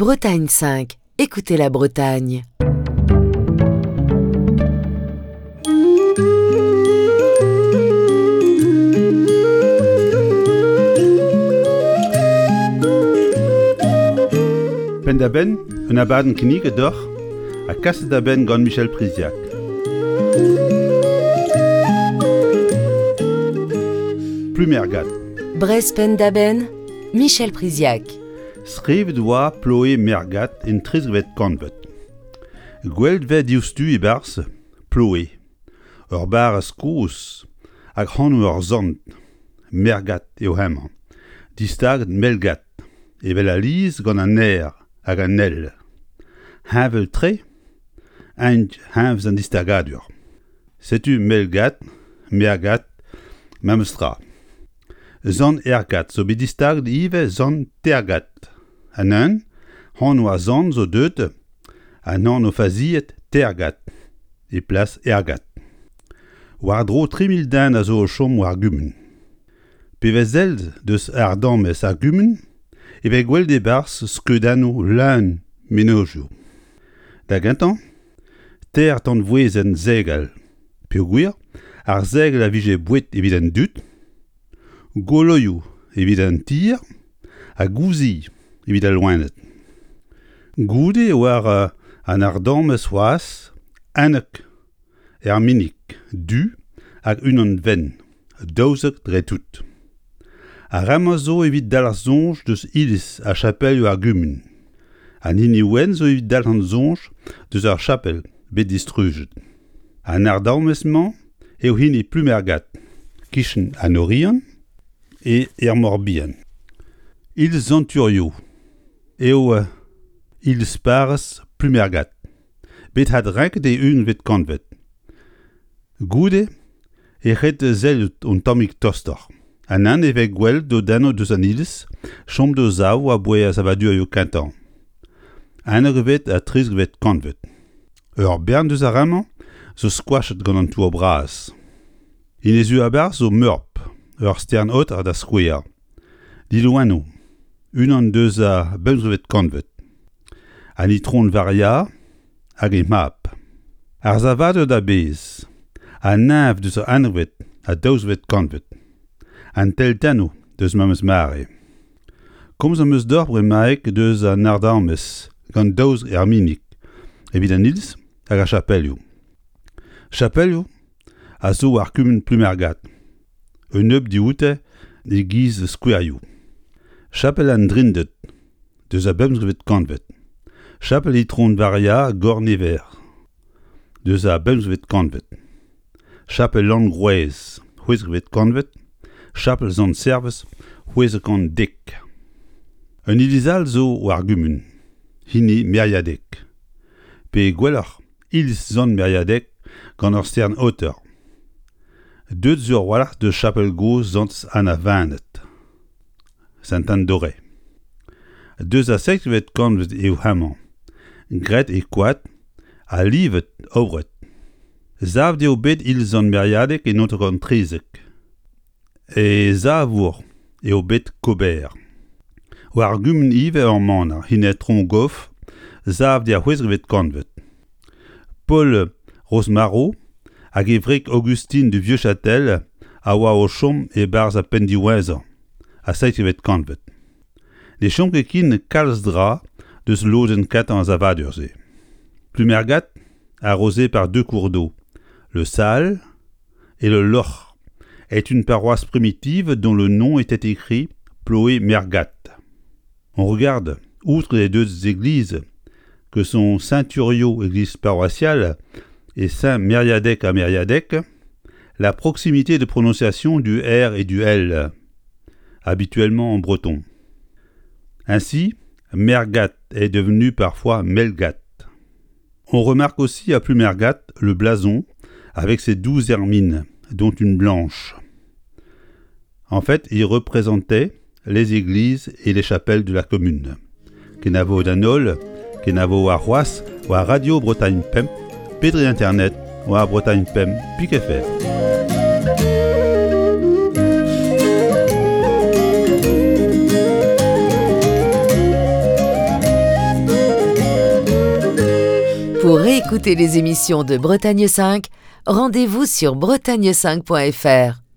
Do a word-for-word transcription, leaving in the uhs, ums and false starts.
Bretagne cinq, écoutez la Bretagne. Penn-da-benn, un abadenn kinniget deoc'h ha kaset da benn gant Michel Priziac. Plumergat. Brest Penn-da-Benn, Michel Priziac. Skrivet oa Ploe Mergat en trizekvet kantved. Gwelet vez diouzhtu e-barzh Ploe, ur barrez kozh hag anv ur sant, Mergat eo hemañ, distaget Melgat, evel alies gant an R hag an L. Heñvel-tre int hervez an distagadur. Setu Melgat, Mergat, memes tra. Sant Ergat zo bet distaget ivez Sant Tergat. An un, anv ar sant zo deuet an anv faziet Tergat e plas Ergat. War-dro tri mil den a zo o chom war gumun. Pe vez sell deus ardamez ar gumun e vez gwelet e-barzh skeudennoù leun mennozhioù. Da gentañ, teir tanvouezenn segal, peogwir ar segel a vije boued evit an dud, goloioù evit an tier ha gouzilh evit al loened. Goude war an ardamez c'hoazh unnek erminig du hag unan wenn, daouzek dre tout. Ar re-mañ zo evit dalc'h soñj deus iliz ha chapelioù ar gumun. An hini wenn zo evit dalc'h soñj deus ar chapel bet distrujet. An ardamez-mañ eo hini Plumergat, kichen an Oriant e er Morbihan. Iliz Sant-Turio eo iliz parrez Plumergat, bet adrenket e unkvet kantved. Goude e ret sellout un tammig tostoc'h. An an e vez gwelet dodennoù deus an iliz, chom d'o sav aboae ar savadurioù kentañ. Unnekvet ha trizekvet kantved. Ur bern deus ar re-mañ zo skoachet gant an tour bras. Inizi a-barzh zo meurp, ur stern-aoter da skouer. Diloennoù, unan deus ar bemzekvet kantved. An Itron Varia hag he mab. Ar savadur da bezh, an neñv deus ar unnekvet ha daouzekvet kantved. An teltennoù deus memes mare. Komz am eus deoc'h bremaik deus an ardamez gant daouzek erminig evit an iliz hag ar chapelioù. Chapelioù a zo war kumun Plumergat. Un nebeud dioute e-giz skouerioù. Chapel an Drinded deus ar bemzekvet kantved. Chapel Itron Varia Gornever deus ar bemzekvet kantved. Chapel Langroez, c'hwezekvet kantved. Chapel Sant-Servez, c'hwezek kant dek. Un iliz all zo war gumun, hini Meriadeg. Pe gwelloc'h, iliz Sant Meriadeg gant ur stern aoter. Deuet zo a-walc'h deus chapel gozh Sant Anna Vened, Sainte-Anne-d'Auray. Deus ar seizhvet kantved eo hemañ, graet e koad ha livet aouret. Savet eo bet iliz Sant Meriadeg e naontek kant trizek. E savour eo bet Kober. War gumun ivez ur maner, hini Trongoff, savet er c'hwezekvet kantved. Paul Rosmaro hag e wreg Augustine du Vieux-Châtel a oa o chom e-barzh ar penn diwezhañ ar seizhvet kantved. Ne chom ket ken kalz dra deus lodenn kentañ ar savadur-se. Plumergat, arrosé par deux cours d'eau, le Sal et le Loc'h, est une paroisse primitive dont le nom était écrit Ploé-Mergat. On regarde, outre les deux églises, que sont Saint-Thuriau, église paroissiale, et Saint-Mériadec à Mériadec, la proximité de prononciation du R et du L, habituellement en breton. Ainsi, Mergat est devenu parfois Melgat. On remarque aussi à Plumergat le blason avec ses douze hermines, dont une blanche. En fait, il représentait les églises et les chapelles de la commune. Kenavo d'an holl, kenavo ar c'hoazh, war Radio Bretagne Pemp, pe dre internet, war Bretagne Pemp pik F R. Pour réécouter les émissions de Bretagne cinq, rendez-vous sur bretagne cinq point F R.